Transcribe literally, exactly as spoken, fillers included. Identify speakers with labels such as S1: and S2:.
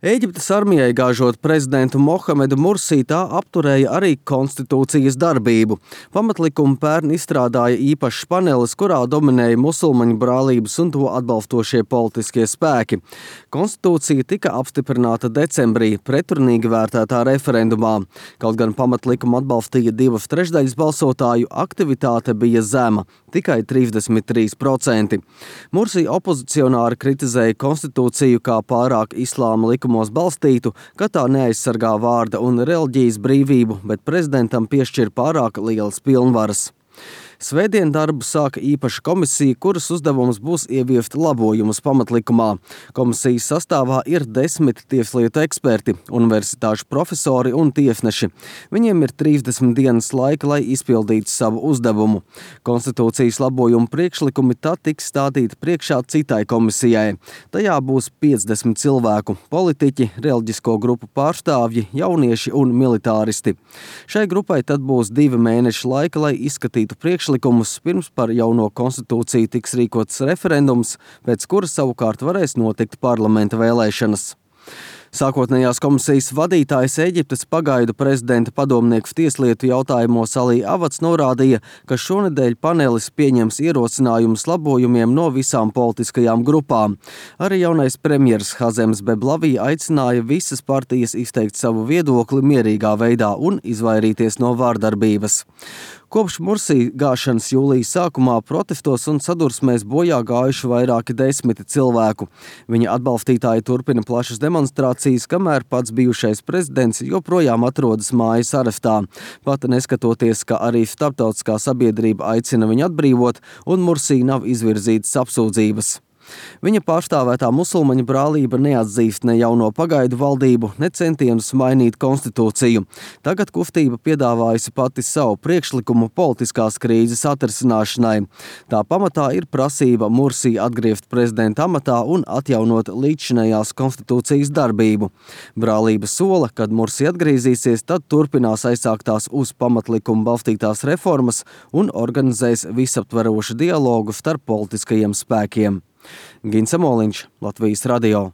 S1: Ēģiptes armijai gāžot prezidentu Mohamedu Mursī, tā apturēja arī konstitūcijas darbību. Pamatlikumu pērn izstrādāja īpašs panelis, kurā dominēja musulmaņu brālības un to atbalstošie politiskie spēki. Konstitūcija tika apstiprināta decembrī pretrunīgi vērtētā referendumā. Kaut gan pamatlikumu atbalstīja divas trešdaļas balsotāju, aktivitāte bija zema, tikai trīsdesmit trīs procenti. Mursī opozicionāri kritizēja konstitūciju kā pārāk islāma likumu balstītu, ka tā neaizsargā vārda un reliģijas brīvību, bet prezidentam piešķir pārāk lielas pilnvaras. Svētdien darbu sāka īpaša komisija, kuras uzdevums būs ieviest labojumus pamatlikumā. Komisijas sastāvā ir desmit tieslietu eksperti, universitāšu profesori un tiesneši. Viņiem ir trīsdesmit dienas laika, lai izpildītu savu uzdevumu. Konstitūcijas labojumu priekšlikumi tad tiks stādīti priekšā citai komisijai. Tajā būs piecdesmit cilvēku – politiķi, reliģisko grupu pārstāvji, jaunieši un militāristi. Šai grupai tad būs divi mēneši laika, lai izskatītu priekšlikumus, pirms par jauno konstitūciju tiks rīkots referendums, pēc kura savukārt varēs notikt parlamenta vēlēšanas. Sākotnējās komisijas vadītājs Ēģiptes pagaidu prezidenta padomnieks tieslietu jautājumos Alī Avats norādīja, ka šonedēļ panelis pieņems ierosinājumus labojumiem no visām politiskajām grupām. Arī jaunais premjers Hazems Beblavī aicināja visas partijas izteikt savu viedokli mierīgā veidā un izvairīties no vārdarbības. Kopš Mursī gāšanas jūlijas sākumā protestos un sadursmēs bojā gājuši vairāki desmiti cilvēku. Viņa atbalstītāji turpina plašas demonstrācijas, kamēr pats bijušais prezidents joprojām atrodas mājas arestā. Pat neskatoties, ka arī starptautiskā sabiedrība aicina viņu atbrīvot un Mursī nav izvirzītas apsūdzības. Viņa pārstāvētā musulmaņu brālība neatzīst ne jauno pagaidu valdību, ne centienus mainīt konstitūciju. Tagad kustība piedāvājusi pati savu priekšlikumu politiskās krīzes atrisināšanai. Tā pamatā ir prasība Mursī atgriezt prezidenta amatā un atjaunot līdzšinējās konstitūcijas darbību. Brālība sola, kad Mursī atgriezīsies, tad turpinās aizsāktās uz pamatlikumu balstītās reformas un organizēs visaptverošu dialogu starp politiskajiem spēkiem. Gins Amoliņš, Latvijas radio.